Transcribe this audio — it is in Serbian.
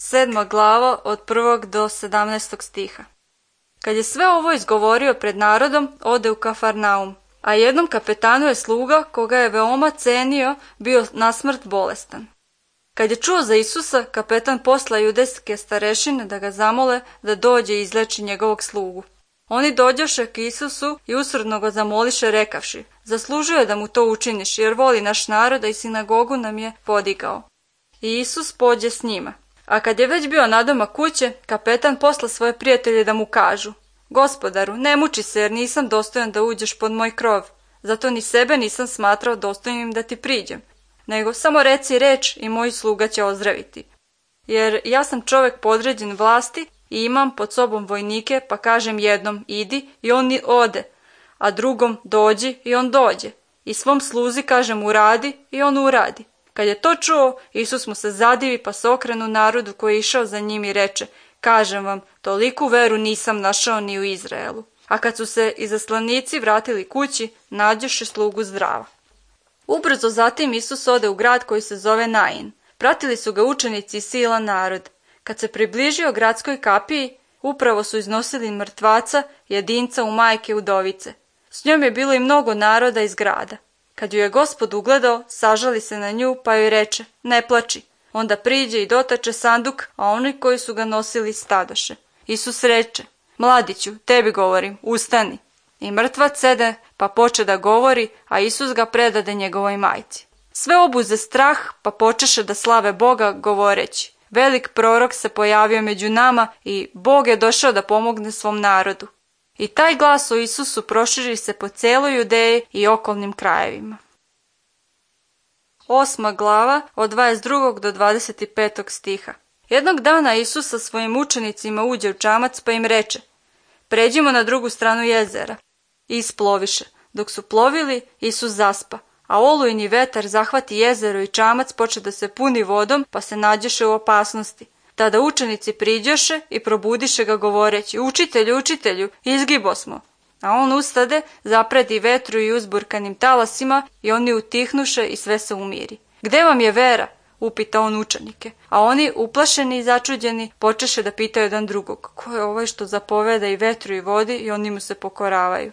7. glava od 1. do 17. stiha. Kad je sve ovo izgovorio pred narodom, ode u Kafarnaum, a jednom kapetanu je sluga, koga je veoma cenio, bio nasmrt bolestan. Kad je čuo za Isusa, kapetan posla judejske starešine da ga zamole da dođe i izleči njegovog slugu. Oni dođoše k Isusu i usrdno ga zamoliše rekavši: zaslužio je da mu to učiniš, jer voli naš narod, a i sinagogu nam je podigao. I Isus pođe s njima. A kad je već bio nadomak kuće, kapetan posla svoje prijatelje da mu kažu: Gospodaru, ne muči se, jer nisam dostojan da uđeš pod moj krov, zato ni sebe nisam smatrao dostojnim da ti priđem, nego samo reci reč i moj sluga će ozdraviti. Jer ja sam čovjek podređen vlasti i imam pod sobom vojnike, pa kažem jednom idi i on ode, a drugom dođi i on dođe, i svom sluzi kažem uradi i on uradi. Kad je to čuo, Isus mu se zadivi, pa se okrenu narodu koji je išao za njim i reče: kažem vam, toliku veru nisam našao ni u Izraelu. A kad su se izaslanici vratili kući, nađoše slugu zdrava. Ubrzo zatim Isus ode u grad koji se zove Nain. Pratili su ga učenici i silan narod. Kad se približio gradskoj kapiji, upravo su iznosili mrtvaca, jedinca u majke udovice. S njom je bilo i mnogo naroda iz grada. Kad ju je Gospod ugledao, sažali se na nju, pa joj reče: ne plači. Onda priđe i dotače sanduk, a oni koji su ga nosili stadoše. Isus reče: mladiću, tebi govorim, ustani. I mrtvac sede, pa poče da govori, a Isus ga predade njegovoj majci. Sve obuze strah, pa počeše da slave Boga, govoreći: velik prorok se pojavio među nama i Bog je došao da pomogne svom narodu. I taj glas o Isusu proširi se po cijeloj Judeji i okolnim krajevima. 8. glava od 22. do 25. stiha. Jednog dana Isus sa svojim učenicima uđe u čamac, pa im reče: pređimo na drugu stranu jezera. I isploviše. Dok su plovili, Isus zaspa, a olujni vetar zahvati jezero i čamac poče da se puni vodom, pa se nađeše u opasnosti. Tada učenici priđoše i probudiše ga govoreći: učitelju, učitelju, izgibosmo. A on ustade, zapredi vetru i uzburkanim talasima, i oni utihnuše i sve se umiri. Gde vam je vera? Upita on učenike. A oni, uplašeni i začuđeni, počeše da pitaju jedan drugog: ko je ovaj što zapoveda i vetru i vodi, i oni mu se pokoravaju.